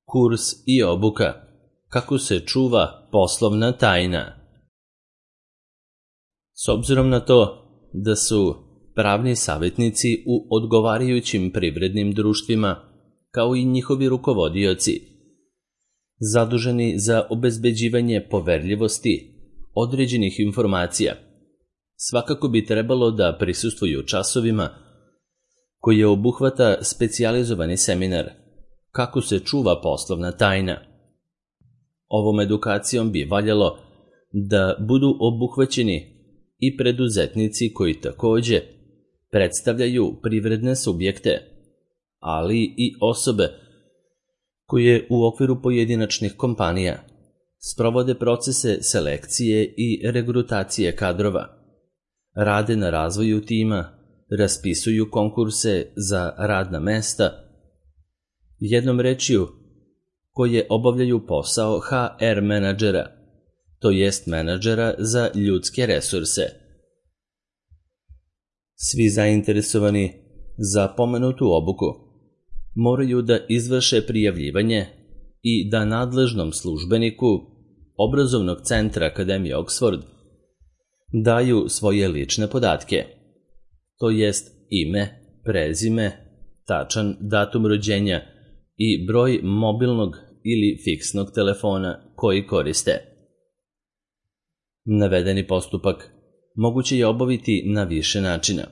Kurs i obuka. Kako se čuva poslovna tajna. S obzirom na to da su pravni savjetnici u odgovarajućim privrednim društvima, kao i njihovi rukovodioci, zaduženi za obezbeđivanje poverljivosti određenih informacija, svakako bi trebalo da prisustvuju časovima koje obuhvata specijalizovani seminar Kako se čuva poslovna tajna. Ovom edukacijom bi valjalo da budu obuhvaćeni i preduzetnici koji takođe predstavljaju privredne subjekte, ali i osobe koje u okviru pojedinačnih kompanija sprovode procese selekcije i regrutacije kadrova, rade na razvoju tima, raspisuju konkurse za radna mesta, jednom rečju koje obavljaju posao HR menadžera, to jest menadžera za ljudske resurse. Svi zainteresovani za pomenutu obuku moraju da izvrše prijavljivanje i da nadležnom službeniku obrazovnog centra Akademije Oxford daju svoje lične podatke, to jest ime, prezime, tačan datum rođenja i broj mobilnog ili fiksnog telefona koji koriste. Navedeni postupak moguće je obaviti na više načina,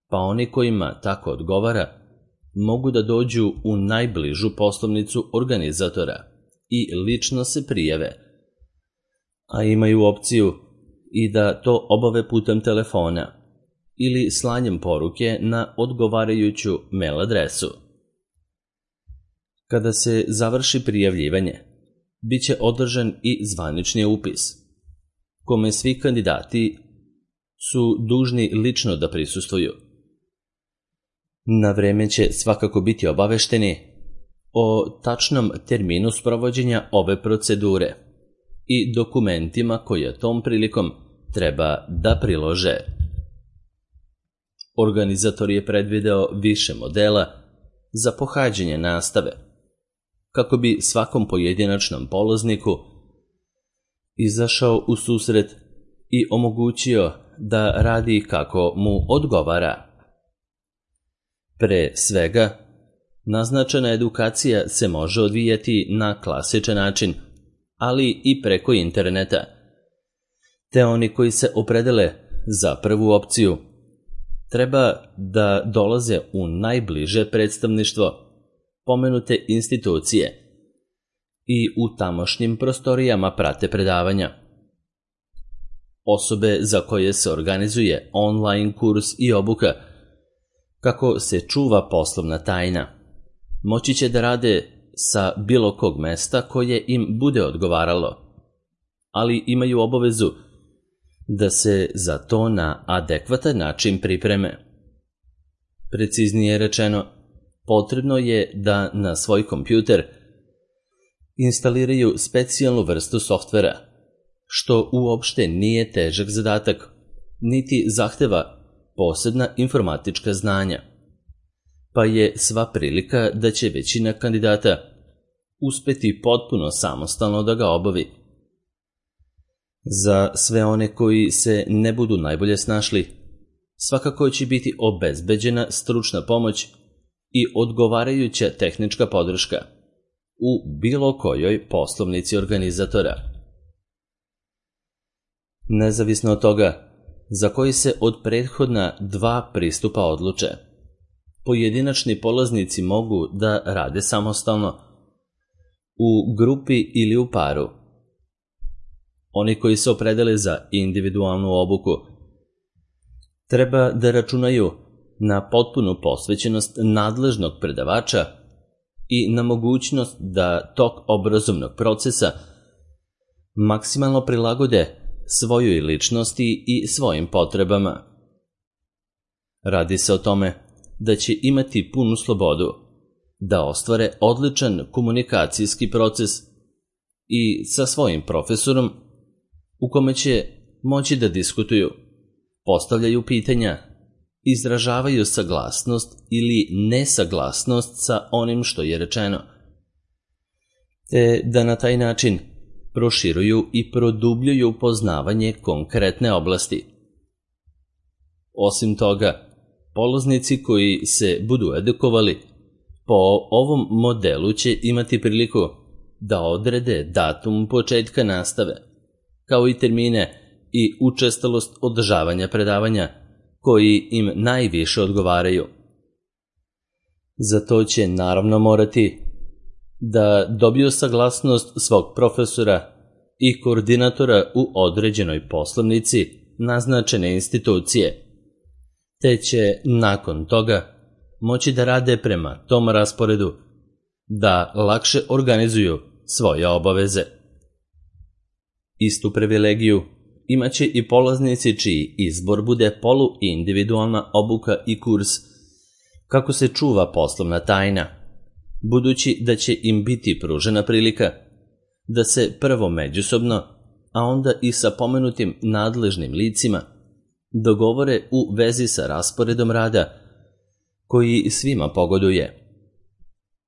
pa oni kojima tako odgovara mogu da dođu u najbližu poslovnicu organizatora i lično se prijave, a imaju opciju i da to obave putem telefona ili slanjem poruke na odgovarajuću mail adresu. Kada se završi prijavljivanje, bit će održan i zvanični upis, kome svi kandidati su dužni lično da prisustvuju. Na vreme će svakako biti obavešteni o tačnom terminu sprovođenja ove procedure i dokumentima koje tom prilikom treba da prilože. Organizator je predvideo više modela za pohađanje nastave, kako bi svakom pojedinačnom polazniku izašao u susret i omogućio da radi kako mu odgovara. Pre svega, naznačena edukacija se može odvijati na klasičan način, ali i preko interneta, te oni koji se opredele za prvu opciju treba da dolaze u najbliže predstavništvo pomenute institucije i u tamošnjim prostorijama prate predavanja. Osobe za koje se organizuje online kurs i obuka Kako se čuva poslovna tajna moći će da rade sa bilo kog mesta koje im bude odgovaralo, ali imaju obavezu da se za to na adekvatan način pripreme. Preciznije rečeno, potrebno je da na svoj kompjuter instaliraju specijalnu vrstu softvera, što uopšte nije težak zadatak, niti zahteva posebna informatička znanja, pa je sva prilika da će većina kandidata uspeti potpuno samostalno da ga obavi. Za sve one koji se ne budu najbolje snašli, svakako će biti obezbeđena stručna pomoć i odgovarajuća tehnička podrška u bilo kojoj poslovnici organizatora. Nezavisno od toga za koji se od prethodna dva pristupa odluče, pojedinačni polaznici mogu da rade samostalno, u grupi ili u paru. Oni koji se opredele za individualnu obuku treba da računaju na potpunu posvećenost nadležnog predavača i na mogućnost da tok obrazovnog procesa maksimalno prilagode svojoj ličnosti i svojim potrebama. Radi se o tome da će imati punu slobodu da ostvare odličan komunikacijski proces i sa svojim profesorom u kome će moći da diskutuju, postavljaju pitanja, izražavaju saglasnost ili nesaglasnost sa onim što je rečeno, te da na taj način proširuju i produbljuju poznavanje konkretne oblasti. Osim toga, polaznici koji se budu edukovali po ovom modelu će imati priliku da odrede datum početka nastave, kao i termine i učestalost održavanja predavanja koji im najviše odgovaraju. Za to će naravno morati da dobiju saglasnost svog profesora i koordinatora u određenoj poslovnici naznačene institucije, te će nakon toga moći da rade prema tom rasporedu, da lakše organizuju svoje obaveze. Istu privilegiju imaće i polaznici čiji izbor bude poluindividualna obuka i kurs kako se čuva poslovna tajna, budući da će im biti pružena prilika da se prvo međusobno, a onda i sa pomenutim nadležnim licima dogovore u vezi sa rasporedom rada koji svima pogoduje.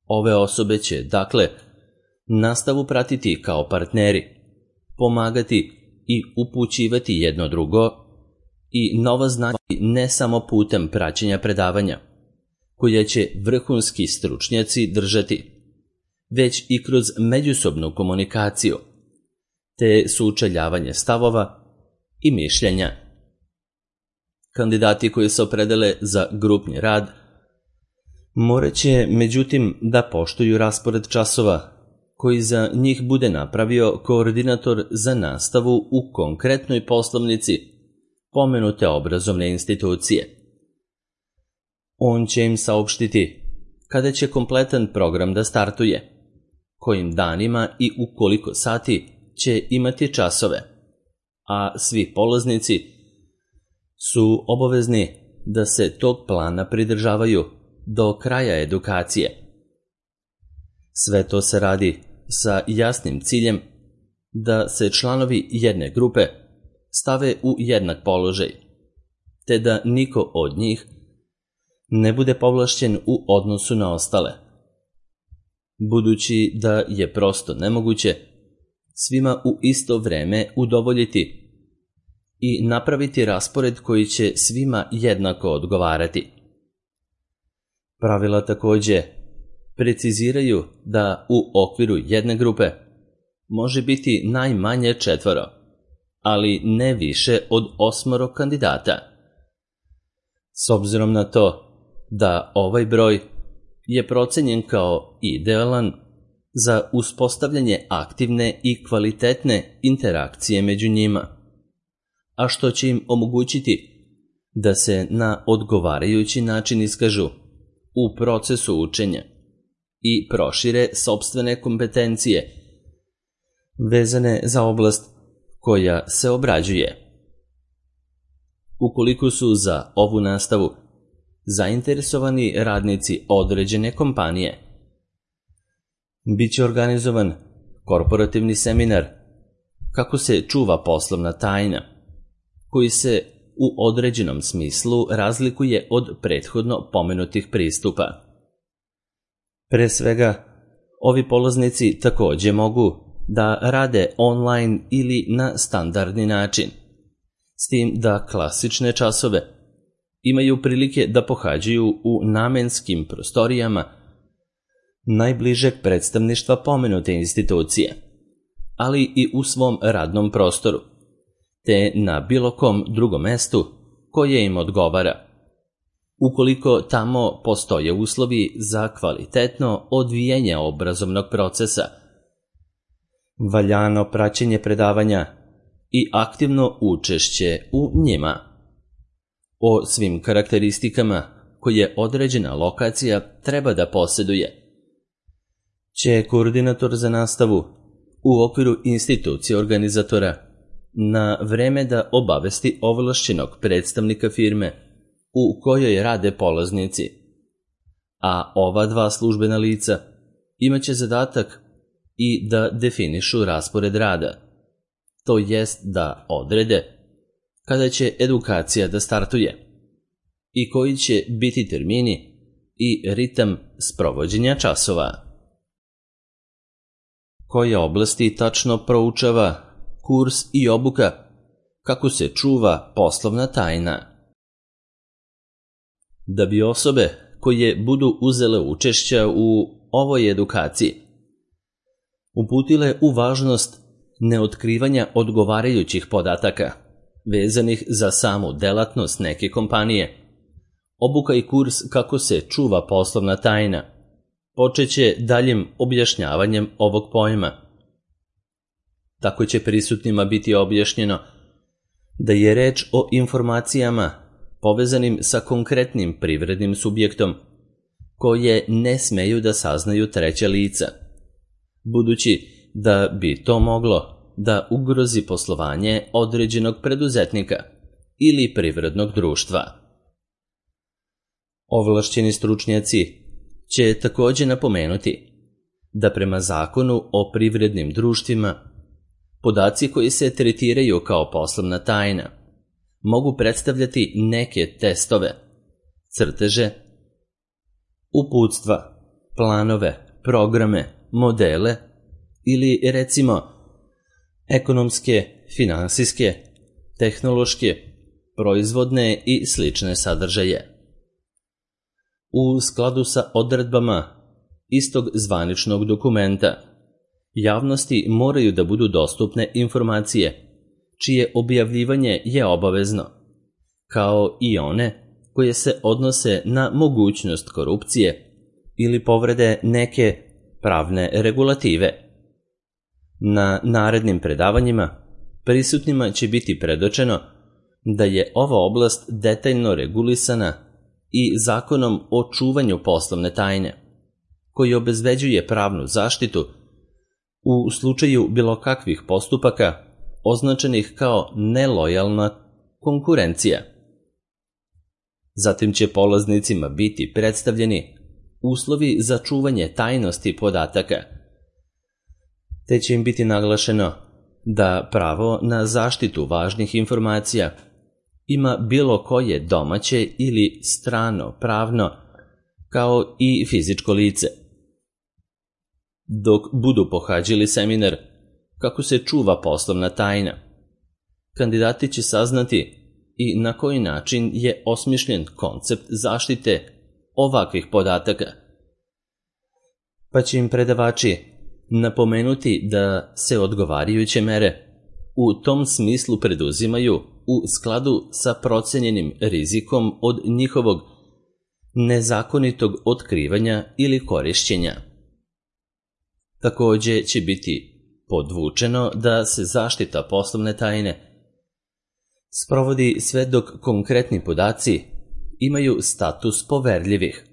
Ove osobe će, dakle, nastavu pratiti kao partneri, pomagati i upućivati jedno drugo i nova znanja ne samo putem praćenja predavanja, koja će vrhunski stručnjaci držati, već i kroz međusobnu komunikaciju, te sučeljavanje stavova i mišljenja. Kandidati koji se opredele za grupni rad morat će, međutim, da poštuju raspored časova koji za njih bude napravio koordinator za nastavu u konkretnoj poslovnici pomenute obrazovne institucije. On će im saopštiti kada će kompletan program da startuje, kojim danima i u koliko sati će imati časove, a svi polaznici su obavezni da se tog plana pridržavaju do kraja edukacije. Sve to se radi sa jasnim ciljem da se članovi jedne grupe stave u jednak položaj, te da niko od njih ne bude povlašćen u odnosu na ostale, budući da je prosto nemoguće svima u isto vreme udovoljiti i napraviti raspored koji će svima jednako odgovarati. Pravila takođe preciziraju da u okviru jedne grupe može biti najmanje 4, ali ne više od 8 kandidata. S obzirom na to da ovaj broj je procenjen kao idealan za uspostavljanje aktivne i kvalitetne interakcije među njima, a što će im omogućiti da se na odgovarajući način iskažu u procesu učenja i prošire sopstvene kompetencije vezane za oblast koja se obrađuje. Ukoliko su za ovu nastavu zainteresovani radnici određene kompanije, biće organizovan korporativni seminar kako se čuva poslovna tajna, koji se u određenom smislu razlikuje od prethodno pomenutih pristupa. Pre svega, ovi polaznici takođe mogu da rade online ili na standardni način, s tim da klasične časove imaju prilike da pohađaju u namenskim prostorijama najbližeg predstavništva pomenute institucije, ali i u svom radnom prostoru, te na bilo kom drugom mestu koje im odgovara, ukoliko tamo postoje uslovi za kvalitetno odvijanje obrazovnog procesa, valjano praćenje predavanja i aktivno učešće u njima. O svim karakteristikama koje određena lokacija treba da posjeduje će koordinator za nastavu u okviru institucije organizatora na vreme da obavesti ovlašćenog predstavnika firme u kojoj rade polaznici, a ova 2 službena lica imaće zadatak i da definišu raspored rada, to jest da odrede kada će edukacija da startuje i koji će biti termini i ritam sprovođenja časova. koje oblasti tačno proučava kurs i obuka kako se čuva poslovna tajna. Da bi osobe koje budu uzele učešća u ovoj edukaciji uputile u važnost neotkrivanja odgovarajućih podataka vezanih za samu delatnost neke kompanije, obuka i kurs kako se čuva poslovna tajna počeće daljim objašnjavanjem ovog pojma. Tako će prisutnima biti objašnjeno da je reč o informacijama povezanim sa konkretnim privrednim subjektom, koje ne smeju da saznaju treća lica, budući da bi to moglo da ugrozi poslovanje određenog preduzetnika ili privrednog društva. Ovlašćeni stručnjaci će također napomenuti da prema Zakonu o privrednim društvima podaci koji se tretiraju kao poslovna tajna mogu predstavljati neke testove, crteže, uputstva, planove, programe, modele ili recimo ekonomske, finansijske, tehnološke, proizvodne i slične sadržaje. U skladu sa odredbama istog zvaničnog dokumenta, javnosti moraju da budu dostupne informacije čije objavljivanje je obavezno, kao i one koje se odnose na mogućnost korupcije ili povrede neke pravne regulative. Na narednim predavanjima prisutnima će biti predočeno da je ova oblast detaljno regulisana i Zakonom o čuvanju poslovne tajne, koji obezbeđuje pravnu zaštitu u slučaju bilo kakvih postupaka označenih kao nelojalna konkurencija. Zatim će polaznicima biti predstavljeni uslovi za čuvanje tajnosti podataka, te će im biti naglašeno da pravo na zaštitu važnih informacija ima bilo koje domaće ili strano pravno, kao i fizičko lice. Dok budu pohađali seminar kako se čuva poslovna tajna, kandidati će saznati i na koji način je osmišljen koncept zaštite ovakvih podataka, pa će im predavači napomenuti da se odgovarajuće mere u tom smislu preduzimaju u skladu sa procenjenim rizikom od njihovog nezakonitog otkrivanja ili korišćenja. Također će biti podvučeno da se zaštita poslovne tajne sprovodi sve dok konkretni podaci imaju status poverljivih,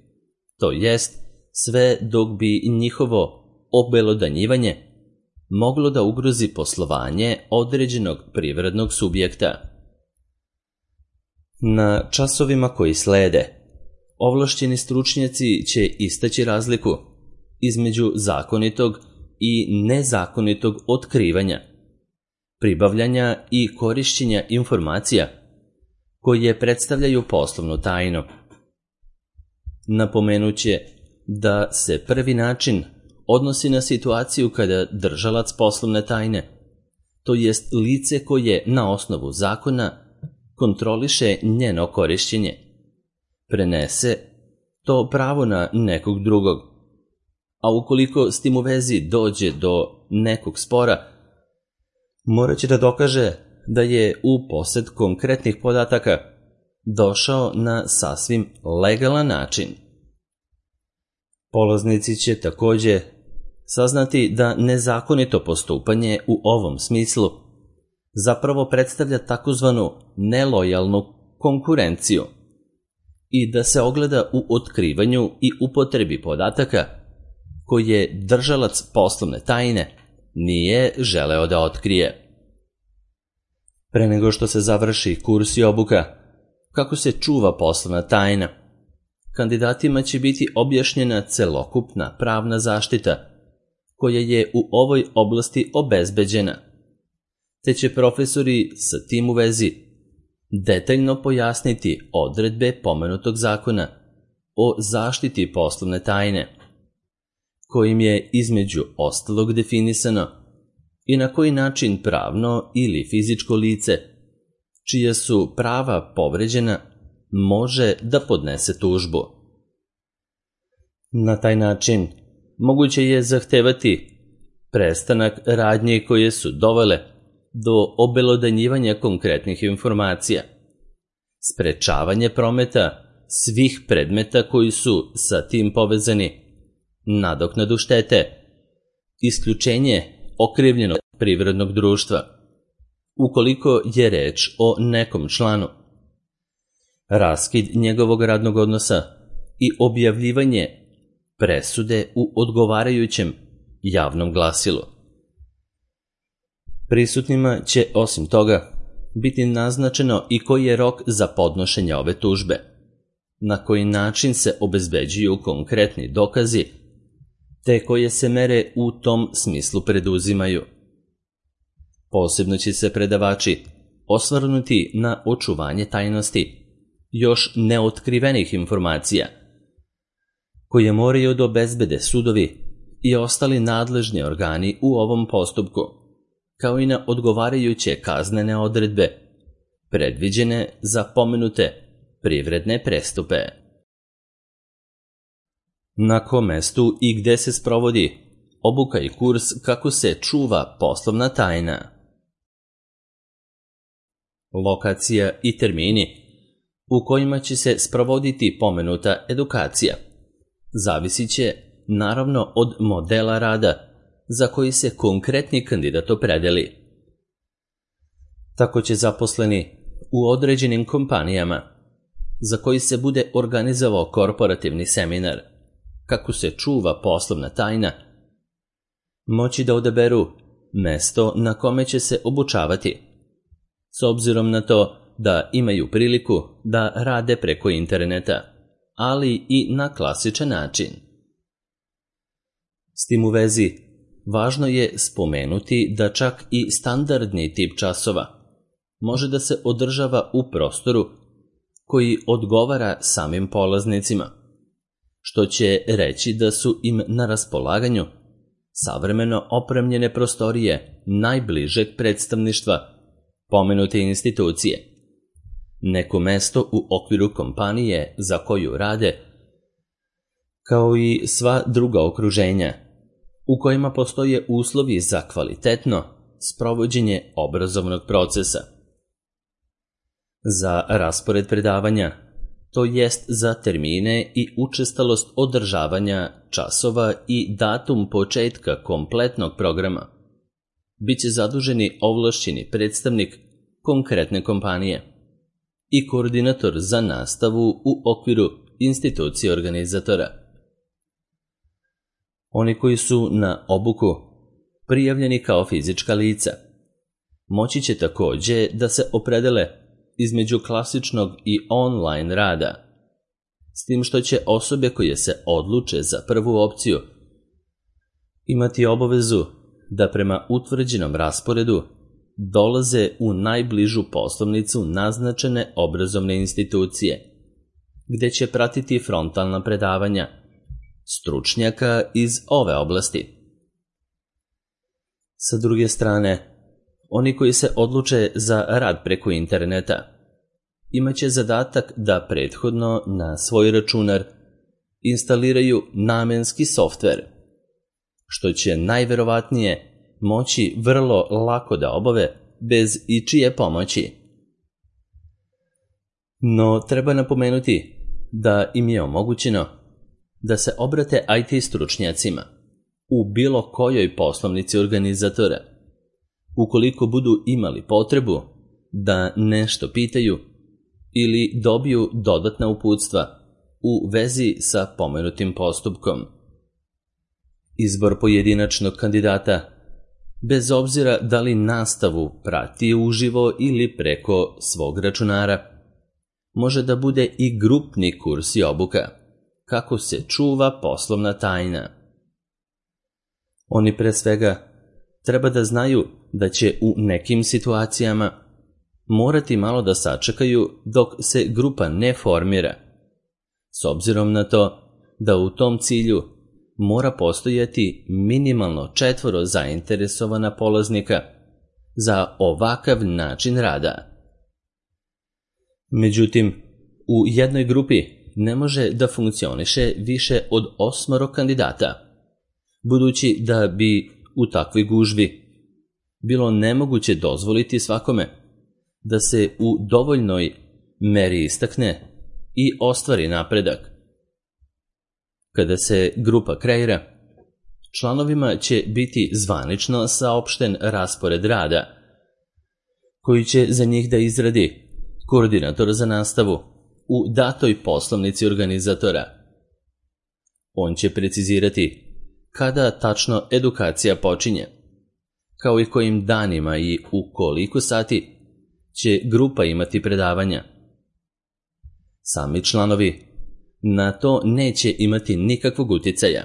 to jest sve dok bi njihovo obelodanjivanje moglo da ugrozi poslovanje određenog privrednog subjekta. Na časovima koji slede, ovlašćeni stručnjaci će istaći razliku između zakonitog i nezakonitog otkrivanja, pribavljanja i korišćenja informacija koje predstavljaju poslovnu tajnu. Napomenuće da se prvi način odnosi na situaciju kada držalac poslovne tajne, to jest lice koje na osnovu zakona kontroliše njeno korišćenje, prenese to pravo na nekog drugog, a ukoliko s tim u vezi dođe do nekog spora, morat će da dokaže da je u posed konkretnih podataka došao na sasvim legalan način. Polaznici će također saznati da nezakonito postupanje u ovom smislu zapravo predstavlja takozvanu nelojalnu konkurenciju i da se ogleda u otkrivanju i upotrebi podataka koje držalac poslovne tajne nije želeo da otkrije. Pre nego što se završi kurs i obuka kako se čuva poslovna tajna, kandidatima će biti objašnjena celokupna pravna zaštita koja je u ovoj oblasti obezbeđena, te će profesori sa tim u vezi detaljno pojasniti odredbe pomenutog zakona o zaštiti poslovne tajne, kojim je između ostalog definisano i na koji način pravno ili fizičko lice, čija su prava povređena, može da podnese tužbu. Na taj način moguće je zahtevati prestanak radnji koje su dovele do obelodanjivanja konkretnih informacija, sprečavanje prometa svih predmeta koji su sa tim povezani, nadoknadu štete, isključenje okrivljenog privrednog društva, ukoliko je reč o nekom članu, raskid njegovog radnog odnosa i objavljivanje presude u odgovarajućem javnom glasilu. Prisutnima će osim toga biti naznačeno i koji je rok za podnošenje ove tužbe, na koji način se obezbeđuju konkretni dokazi, te koje se mere u tom smislu preduzimaju. Posebno će se predavači osvrnuti na očuvanje tajnosti još neotkrivenih informacija, koje moraju da obezbede sudovi i ostali nadležni organi u ovom postupku, kao i na odgovarajuće kaznene odredbe, predviđene za pomenute privredne prestupe. Na kom mestu i gde se sprovodi obuka i kurs kako se čuva poslovna tajna? Lokacija i termini u kojima će se sprovoditi pomenuta edukacija zavisit će naravno od modela rada za koji se konkretni kandidat opredeli. Tako će zaposleni u određenim kompanijama za koji se bude organizovao korporativni seminar kako se čuva poslovna tajna moći da odaberu mesto na kome će se obučavati, s obzirom na to da imaju priliku da rade preko interneta, ali i na klasičan način. S tim u vezi, važno je spomenuti da čak i standardni tip časova može da se održava u prostoru koji odgovara samim polaznicima, što će reći da su im na raspolaganju savremeno opremljene prostorije najbližeg predstavništva pomenute institucije, neko mesto u okviru kompanije za koju rade, kao i sva druga okruženja u kojima postoje uslovi za kvalitetno sprovođenje obrazovnog procesa. Za raspored predavanja, to jest za termine i učestalost održavanja časova i datum početka kompletnog programa, bit će zaduženi ovlašćeni predstavnik konkretne kompanije i koordinator za nastavu u okviru institucije organizatora. Oni koji su na obuku prijavljeni kao fizička lica moći će takođe da se opredele između klasičnog i online rada, s tim što će osobe koje se odluče za prvu opciju imati obavezu da prema utvrđenom rasporedu dolaze u najbližu poslovnicu naznačene obrazovne institucije, gde će pratiti frontalna predavanja stručnjaka iz ove oblasti. Sa druge strane, oni koji se odluče za rad preko interneta imaće zadatak da prethodno na svoj računar instaliraju namenski softver, što će najverovatnije moći vrlo lako da obave bez ičije pomoći. No, treba napomenuti da im je omogućeno da se obrate IT stručnjacima u bilo kojoj poslovnici organizatora, ukoliko budu imali potrebu da nešto pitaju ili dobiju dodatna uputstva u vezi sa pomenutim postupkom. Izbor pojedinačnog kandidata, bez obzira da li nastavu prati uživo ili preko svog računara, može da bude i grupni kurs i obuka, kako se čuva poslovna tajna. Oni pre svega treba da znaju da će u nekim situacijama morati malo da sačekaju dok se grupa ne formira, s obzirom na to da u tom cilju mora postojati minimalno 4 zainteresovana polaznika za ovakav način rada. Međutim, u jednoj grupi ne može da funkcioniše više od 8 kandidata, budući da bi u takvoj gužvi bilo nemoguće dozvoliti svakome da se u dovoljnoj meri istakne i ostvari napredak. Kada se grupa kreira, članovima će biti zvanično saopšten raspored rada, koji će za njih da izradi koordinator za nastavu u datoj poslovnici organizatora. On će precizirati kada tačno edukacija počinje, kao i kojim danima i u koliko sati će grupa imati predavanja. Sami članovi na to neće imati nikakvog uticaja,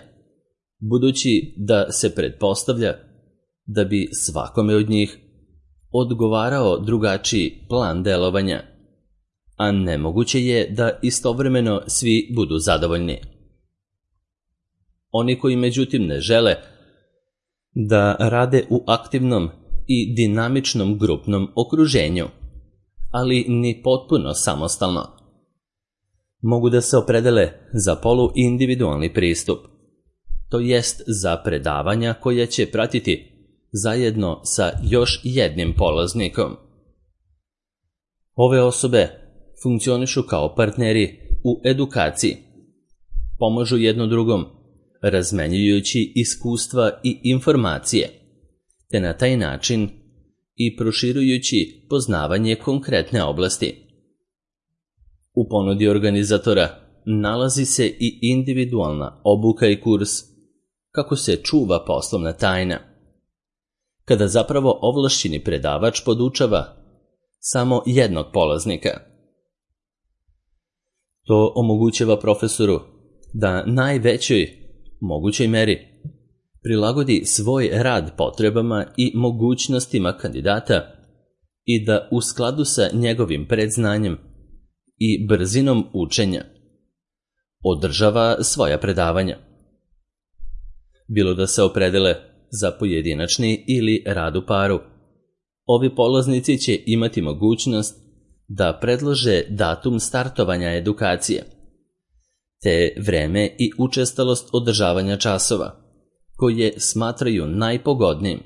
budući da se pretpostavlja da bi svakome od njih odgovarao drugačiji plan delovanja, a nemoguće je da istovremeno svi budu zadovoljni. Oni koji međutim ne žele da rade u aktivnom i dinamičnom grupnom okruženju, ali ni potpuno samostalno, mogu da se opredele za poluindividualni pristup, to jest za predavanja koja će pratiti zajedno sa još jednim polaznikom. Ove osobe funkcionišu kao partneri u edukaciji, pomažu jedno drugom, razmenjujući iskustva i informacije, te na taj način i proširujući poznavanje konkretne oblasti. U ponudi organizatora nalazi se i individualna obuka i kurs kako se čuva poslovna tajna, kada zapravo ovlašćeni predavač podučava samo jednog polaznika. To omogućava profesoru da najvećoj mogućoj meri prilagodi svoj rad potrebama i mogućnostima kandidata i da u skladu sa njegovim predznanjem i brzinom učenja održava svoja predavanja. Bilo da se opredele za pojedinačni ili rad u paru, ovi polaznici će imati mogućnost da predlože datum startovanja edukacije, te vreme i učestalost održavanja časova, koje smatraju najpogodnijim.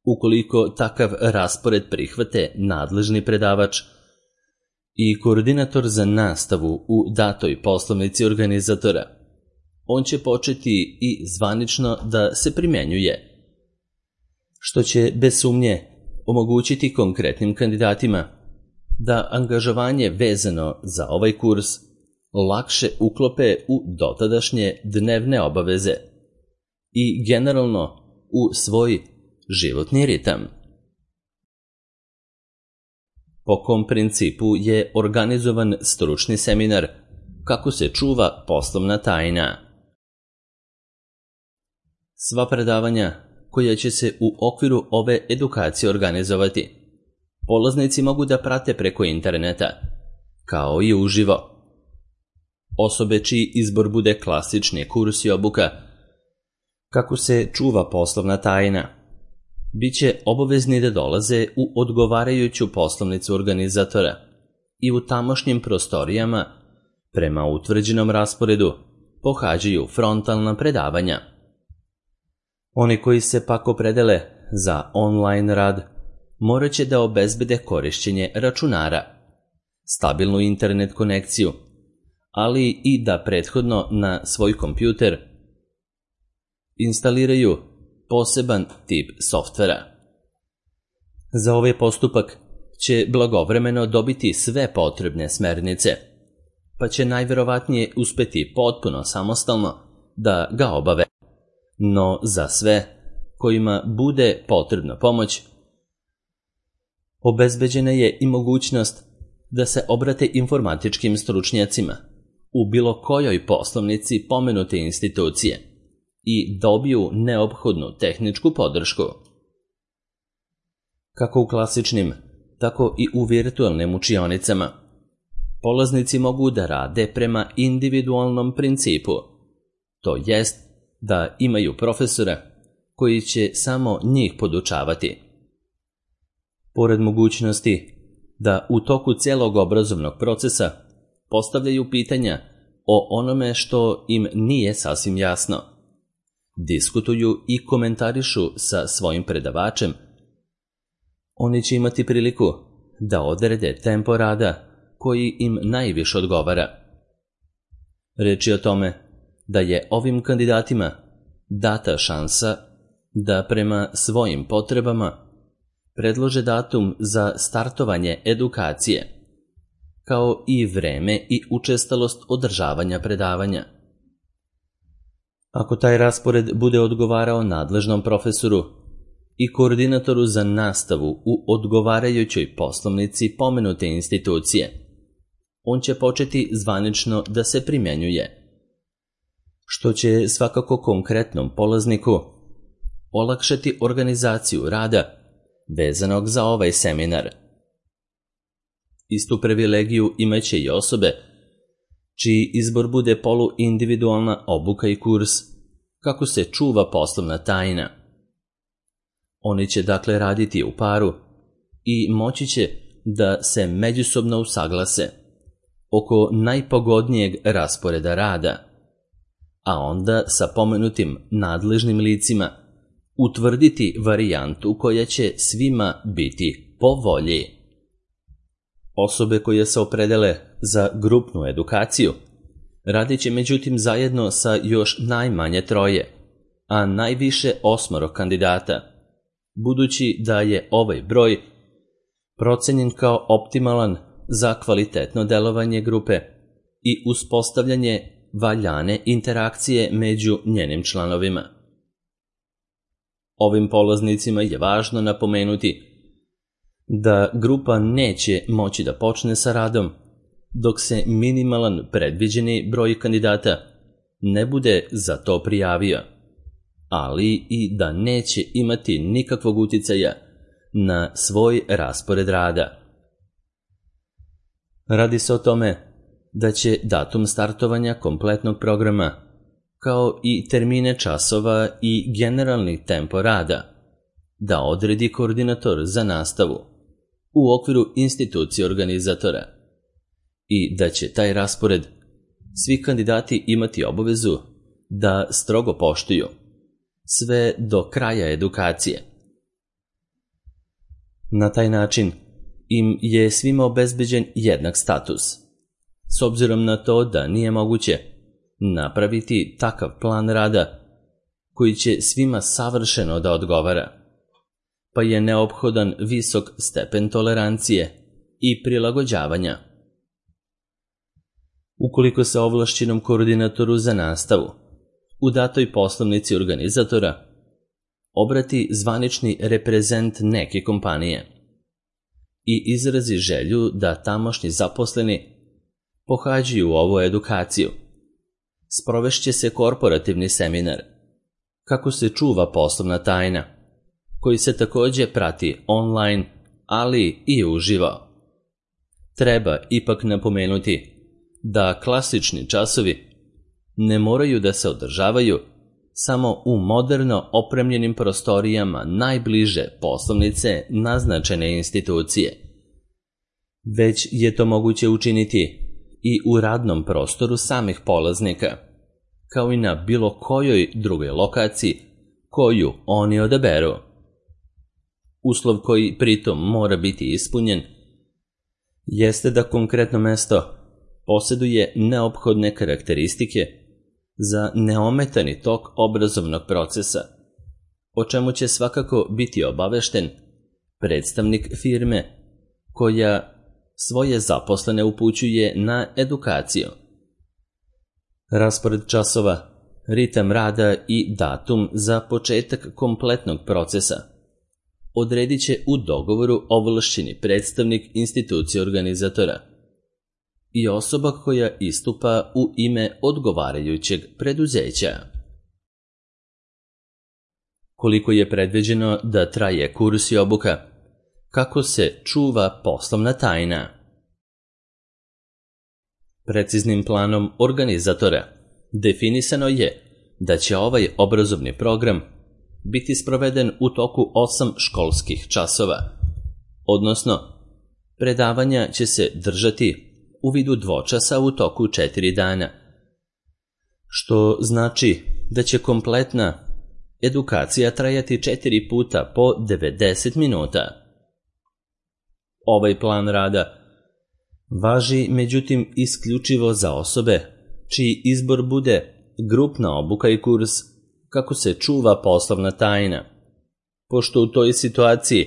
Ukoliko takav raspored prihvate nadležni predavač i koordinator za nastavu u datoj poslovnici organizatora, on će početi i zvanično da se primenjuje, što će bez sumnje omogućiti konkretnim kandidatima da angažovanje vezano za ovaj kurs lakše uklope u dotadašnje dnevne obaveze i generalno u svoj životni ritam. Po kom principu je organizovan stručni seminar kako se čuva poslovna tajna? Sva predavanja koja će se u okviru ove edukacije organizovati, polaznici mogu da prate preko interneta, kao i uživo. Osobe čiji izbor bude klasični kurs i obuka kako se čuva poslovna tajna, bit će obavezni da dolaze u odgovarajuću poslovnicu organizatora i u tamošnjim prostorijama prema utvrđenom rasporedu pohađaju frontalna predavanja. Oni koji se pak opredele za online rad morat će da obezbede korišćenje računara, stabilnu internet konekciju, ali i da prethodno na svoj kompjuter instaliraju poseban tip softvera. Za ovaj postupak će blagovremeno dobiti sve potrebne smernice, pa će najverovatnije uspeti potpuno samostalno da ga obave. No za sve kojima bude potrebna pomoć, obezbeđena je i mogućnost da se obrate informatičkim stručnjacima u bilo kojoj poslovnici pomenute institucije i dobiju neophodnu tehničku podršku. Kako u klasičnim, tako i u virtualnim učionicama, polaznici mogu da rade prema individualnom principu, to jest da imaju profesora koji će samo njih podučavati. Pored mogućnosti da u toku celog obrazovnog procesa postavljaju pitanja o onome što im nije sasvim jasno, diskutuju i komentarišu sa svojim predavačem, oni će imati priliku da odrede tempo rada koji im najviše odgovara. Reč je o tome da je ovim kandidatima data šansa da prema svojim potrebama predlože datum za startovanje edukacije, kao i vreme i učestalost održavanja predavanja. Ako taj raspored bude odgovarao nadležnom profesoru i koordinatoru za nastavu u odgovarajućoj poslovnici pomenute institucije, on će početi zvanično da se primenjuje, što će svakako konkretnom polazniku olakšati organizaciju rada vezanog za ovaj seminar. Istu privilegiju imaće i osobe čiji izbor bude poluindividualna obuka i kurs, kako se čuva poslovna tajna. Oni će dakle raditi u paru i moći će da se međusobno usaglase oko najpogodnijeg rasporeda rada, a onda sa pomenutim nadležnim licima utvrditi varijantu koja će svima biti po volji. Osobe koje se opredele za grupnu edukaciju radit će međutim zajedno sa još najmanje 3, a najviše 8 kandidata, budući da je ovaj broj procenjen kao optimalan za kvalitetno delovanje grupe i uspostavljanje valjane interakcije među njenim članovima. Ovim polaznicima je važno napomenuti da grupa neće moći da počne sa radom dok se minimalan predviđeni broj kandidata ne bude za to prijavio, ali i da neće imati nikakvog uticaja na svoj raspored rada. Radi se o tome da će datum startovanja kompletnog programa, kao i termine časova i generalni tempo rada, da odredi koordinator za nastavu u okviru institucije organizatora i da će taj raspored svi kandidati imati obavezu da strogo poštuju sve do kraja edukacije. Na taj način im je svima obezbeđen jednak status, s obzirom na to da nije moguće napraviti takav plan rada koji će svima savršeno da odgovara, pa je neophodan visok stepen tolerancije i prilagođavanja. Ukoliko se ovlašćenom koordinatoru za nastavu u datoj poslovnici organizatora obrati zvanični reprezent neke kompanije i izrazi želju da tamošnji zaposleni pohađaju ovu edukaciju, sprovešće se korporativni seminar kako se čuva poslovna tajna, koji se takođe prati online, ali i uživo. Treba ipak napomenuti da klasični časovi ne moraju da se održavaju samo u moderno opremljenim prostorijama najbliže poslovnice naznačene institucije, već je to moguće učiniti i u radnom prostoru samih polaznika, kao i na bilo kojoj drugoj lokaciji koju oni odaberu. Uslov koji pritom mora biti ispunjen jeste da konkretno mesto poseduje neophodne karakteristike za neometani tok obrazovnog procesa, o čemu će svakako biti obavešten predstavnik firme koja svoje zaposlene upućuje na edukaciju. Raspored časova, ritam rada i datum za početak kompletnog procesa odredit će u dogovoru ovlašćeni predstavnik institucije organizatora i osoba koja istupa u ime odgovarajućeg preduzeća. Koliko je predviđeno da traje kurs i obuka? Kako se čuva poslovna tajna? Preciznim planom organizatora definisano je da će ovaj obrazovni program biti sproveden u toku 8 školskih časova, odnosno predavanja će se držati u vidu dvočasa u toku 4 dana, što znači da će kompletna edukacija trajati 4 puta po 90 minuta. Ovaj plan rada važi međutim isključivo za osobe čiji izbor bude grupna obuka i kurs kako se čuva poslovna tajna, pošto u toj situaciji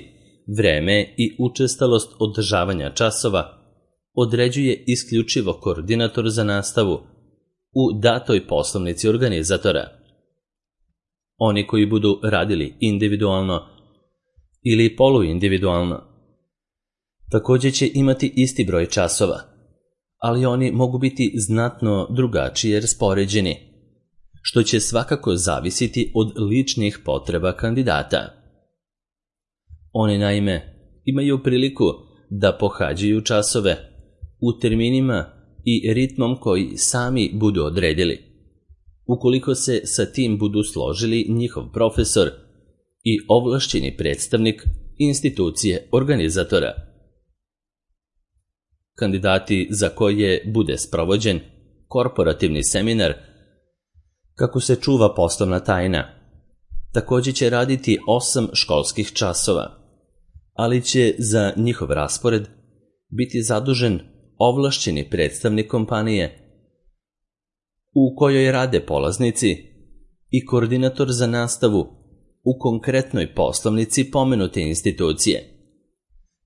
vreme i učestalost održavanja časova određuje isključivo koordinator za nastavu u datoj poslovnici organizatora. Oni koji budu radili individualno ili poluindividualno također će imati isti broj časova, ali oni mogu biti znatno drugačije raspoređeni, što će svakako zavisiti od ličnih potreba kandidata. Oni naime imaju priliku da pohađaju časove u terminima i ritmom koji sami budu odredili, ukoliko se sa tim budu složili njihov profesor i ovlašćeni predstavnik institucije organizatora. Kandidati za koje bude sprovođen korporativni seminar kako se čuva poslovna tajna također će raditi 8 školskih časova, ali će za njihov raspored biti zadužen ovlašćeni predstavnik kompanije u kojoj rade polaznici i koordinator za nastavu u konkretnoj poslovnici pomenute institucije,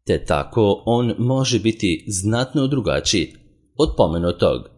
te tako on može biti znatno drugačiji od pomenutog.